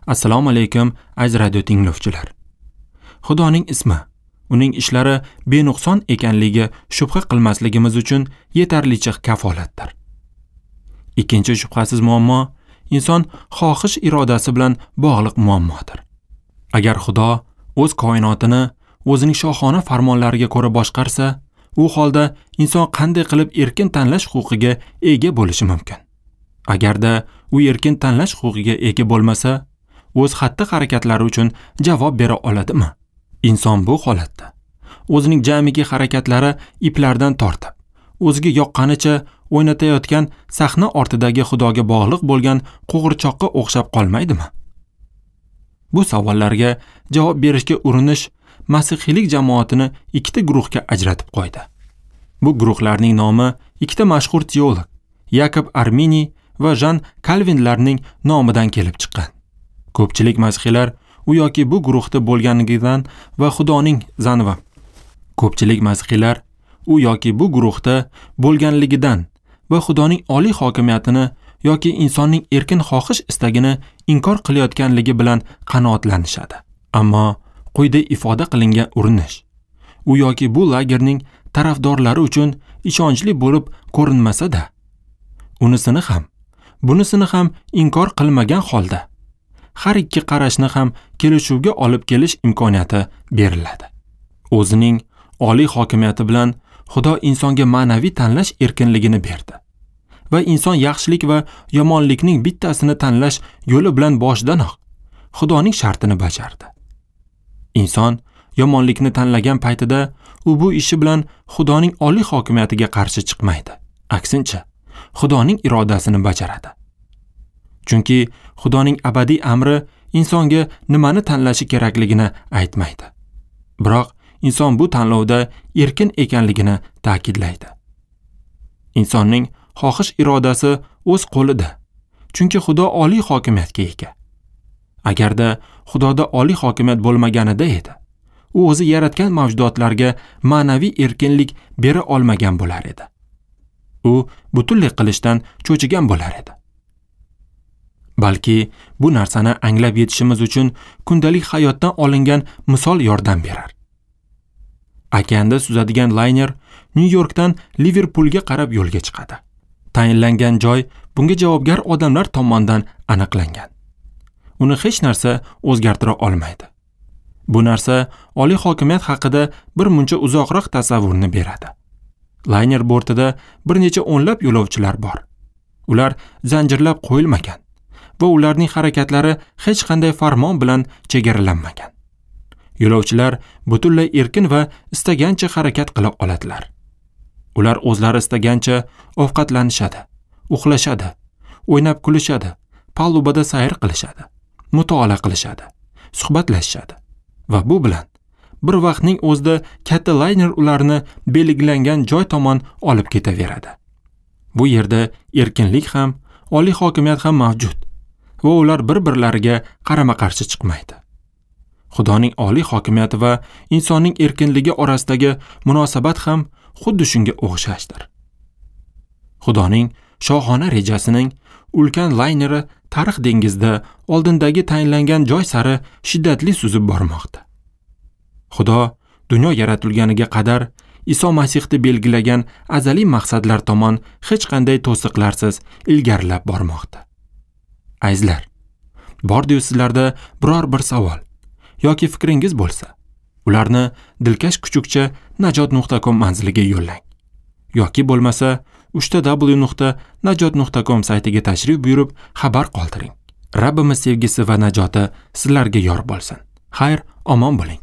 Assalomu alaykum, aziz radio tinglovchilar. Xudoning ismi, uning ishlari benuqson ekanligi shubha qilmasligimiz uchun yetarlicha kafolatdir. Ikkinchi shubhasiz muammo inson xohish irodasi bilan bog'liq muammodir. Agar Xudo o'z koinotini o'zining shohona farmonlariga ko'ra boshqarsa, u holda inson qanday qilib erkin tanlash huquqiga ega bo'lishi mumkin? Agarda u erkin tanlash huquqiga ega bo'lmasa, o'z xatti-harakatlari uchun javob bera oladimi? Inson bu holatda o'zining jamiki harakatlari iplardan tortib, o'ziga yoqqanicha o'ynatayotgan sahna ortidagi Xudoga bog'liq bo'lgan qo'g'irchoqqa o'xshab qolmaydimi? Bu savollarga javob berishga urinish masihiylik jamoatini ikkita guruhga ajratib qo'ydi. Bu guruhlarning nomi ikkita mashhur teolog Yakob Arminiy va Jan Kalvinlarning nomidan kelib chiqqan. Ko'pchilik masihiylar u yoki bu guruhda bo'lganligidan va Xudoning zanva. Ko'pchilik masihiylar u yoki bu guruhda bo'lganligidan va Xudoning oliy hokimiyatini yoki insonning erkin xohish istagini inkor qilayotganligi bilan qanoatlanishadi. Ammo quyida ifoda qilingan urinish u yoki bu lagerning tarafdorlari uchun ishonchli bo'lib ko'rinmasa-da, unisini ham, bunisini ham inkor qilmagan holda har ikki qarashni ham kelishuvga olib kelish imkoniyati beriladi. O'zining oliy hokimiyati bilan Xudo insonga ma'naviy tanlash erkinligini berdi va inson yaxshilik va yomonlikning bittasini tanlash yo'li bilan boshidanoq Xudoning shartini bajardi. Inson yomonlikni tanlagan paytida u bu ishi bilan Xudoning oliy hokimiyatiga qarshi chiqmaydi. Aksincha, Xudoning irodasini bajaradi. Chunki Xudoning abadiy amri insonga nimani tanlashi kerakligini aytmaydi. Biroq inson bu tanlovda erkin ekanligini ta'kidlaydi. Insonning xohish irodasi o'z qo'lida. Chunki Xudo oliy hokimiyatga ega. Agarda Xudoda oliy hokimiyat bo'lmaganida edi, u o'zi yaratgan mavjudotlarga ma'naviy erkinlik bera olmagan bo'lar edi. U butunlay qilishdan cho'chigan bo'lar edi. Balki bu narsani anglab yetishimiz uchun kundalik hayotdan olingan misol yordam berar. Okeanda suzadigan layner Nyu-Yorkdan Liverpulga qarab yo'lga chiqadi. Tayinlangan joy bunga javobgar odamlar tomonidan aniqlangan. Uni hech narsa o'zgartira olmaydi. Bu narsa oliy hokimiyat haqida bir muncha uzoqroq tasavvurni beradi. Layner bortida bir necha o'nlab yo'lovchilar bor. Ular zanjirlab qo'yilmagan va ularning harakatlari hech qanday farmon bilan chegaralanmagan. Yo'lovchilar butunlay erkin va istagancha harakat qila oladilar. Ular o'zlari istagancha ovqatlanishadi, uxlashadi, o'ynab kulishadi, palubada sayr qilishadi, mutolaa qilishadi, suhbatlashishadi va bu bilan bir vaqtning o'zida katta layner ularni belgilangan joy tomon olib ketaveradi. Bu yerda erkinlik ham, oliy hokimiyat ham mavjud va ular bir-birlariga qarama-qarshi chiqmaydi. Xudoning oliy hokimiyati va insonning erkinligi orasidagi munosabat ham xuddi shunga o'xshashdir. Xudoning shohona rejasining ulkan layneri tarix dengizida oldindagi tayinlangan joy sari shiddatli suzib bormoqda. Xudo dunyo yaratilganiga qadar Iso Masihni belgilagan azaliy maqsadlar tomon hech qanday to'siqlarsiz ilgarilab bormoqda. Azizlar, bordi-yu sizlarda biror bir savol yoki fikringiz bo'lsa, ularni dilkash kuchukcha najot.com manziliga yo'llang. Yoki bo'lmasa www.najot.com saytiga tashrif buyurib xabar qoldiring. Rabbimiz sevgisi va najoti sizlarga yor bo'lsin. Xayr, omon bo'ling.